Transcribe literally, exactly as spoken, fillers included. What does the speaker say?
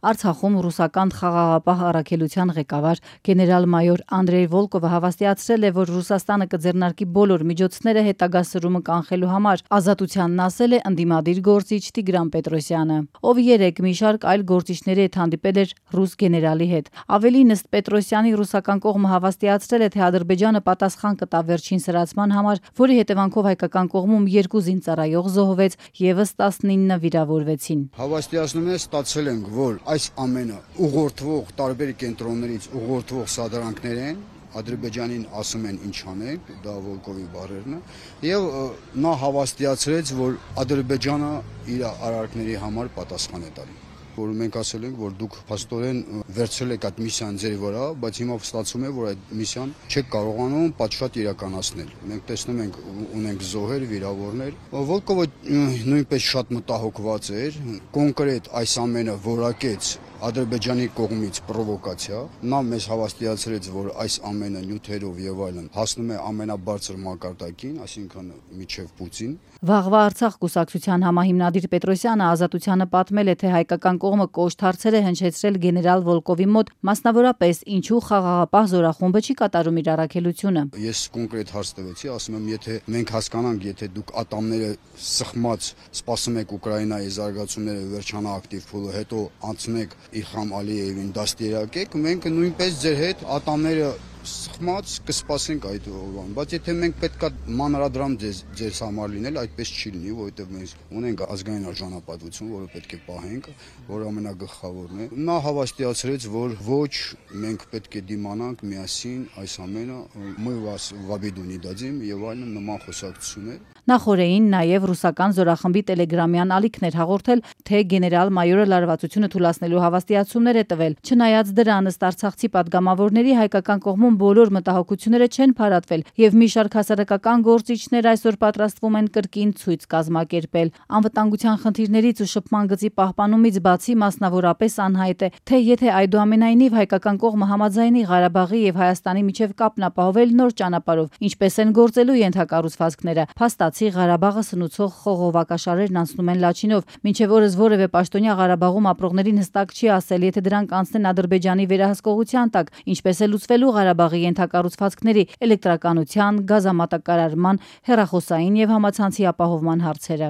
Արցախում ռուսական խաղաղապահ առաքելության ղեկավար գեներալ-մայոր Անդրեյ Վոլկովը հավաստիացրել է, որ Ռուսաստանը կձեռնարկի բոլոր միջոցները հետագա սրումը կանխելու համար, ազատությանն ասել է ընդդիմադիր գործիչ Տիգրան Պետրոսյանը, ով երեկ մի շարք այլ գործիչների հետ հանդիպել էր ռուս գեներալի հետ։ Ավելին, ըստ Պետրոսյանի, ռուսական կողմը հավաստիացրել է, թե Ադրբեջանը պատասխան կտա վերջին սրացման համար, որի հետևանքով հայկական կողմում երկու զինծառայող զոհվեց, ևս տասնինը վիրավորվեցին։ Հավաստիացնում է, ստացել ենք, որ այս ամենը ուղղորդվող տարբեր կենտրոններից ուղղորդվող սադրանքներ են, Ադրբեջանին ասում են ինչ անենք, դա Վոլկովի բառերն է, եւ նա հավաստիացրեց, որ Ադրբեջանը իր արարքների համար պատասխան է տալի, որ մենք ասել ենք, որ դուք փաստորեն վերցրել եք այդ միսիան ձեր վրա, բայց հիմա ստացվում է, որ այդ միսիան չեք կարողանում պատշաճ իրականացնել։ Մենք տեսնում ենք, ունենք զոհեր, վիրավորներ։ Վոլկովը նույնպես շատ մտահոգված էր, կոնկրետ այս ամենը որակեց Ադրբեջանի կողմից պրովոկացիա, նա մեզ հավաստիացրեց, որ այս ամենը նյութերով եւ այլն հասնում է ամենաբարձր մակարդակին, այսինքն միջև Պուտին։ Վաղվա Արցախ կուսակցության համահիմնադիր Պետրոսյանը Ազատությանը պատմել է, թե հայկական կողմը կոշտ հարցեր է հնչեցրել գեներալ Վոլկովի մոտ, մասնավորապես ինչու խաղաղապահ զորախումբը չի կատարում իր առաքելությունը։ Ես կոնկրետ հարց տվեցի, ասում եմ, եթե մենք հասկանանք, եթե դուք ատամները սխմած սպասում եք Ուկրաինայի զարգացումները վերջանա ակտիվ փուլը, հետո անցնեք Իլհամ Ալիևին դաստիարակեք, մենք նույնպես ձեր հետ ատամները սխմած կսպասենք այդ օրվան, բայց եթե մենք պետքա մանրադրամ ձեր համար լինել, այդպես չի լինի, որովհետև մենք ունենք ազգային արժանապատվություն, որը պետք է պահենք, որ ամենագլխավորն է։ Նա հավաստիացրեց, որ ոչ, մենք պետք է դիմանանք միասին այս ամենը, мы вас в обиду не дадим եւ այլն նման խոսակցություններ։ Նախորդին նաև ռուսական զորախմբի տելեգրամյան ալիքն էր հաղորդել, թե գեներալ-մայորը լարվածությունը թուլացնելու հավաստիացումներ է տվել։ Չնայած դրան, ըստ արցախցի պատգամավորների, հայկական կողմում բոլոր մտահոգությունները չեն փարատվել, եւ մի շարք հասարակական գործիչներ այսօր պատրաստվում են կրկին ցույց կազմակերպել։ Անվտանգության խնդիրներից ու շփման գծի պահպանումից բացի, մասնավորապես անհայտ է, թե եթե այդուամենայնիվ հայկական կողմը համաձայնի Ղարաբաղի եւ Հայաստանի միջև կապն ապահովել նոր ճանապարհով, ինչպես են գործելու ենթակառուցվածքները, փաստացի Ղարաբաղը սնուցող խողովակաշարերն անցնում են Լաչինով, մինչև օրս որևէ պաշտոնյա Ղարաբաղում ապրողներին հստակ չի ասել, եթե դրանք անցնեն Ադրբեջանի վերահսկողության տակ, ինչպես է լուծվելու Ղարաբաղի ենթակառուցվածքների, էլեկտրականության, գազամատակարարման, հեռախոսային եւ համացանցի ապահովման հարցերը։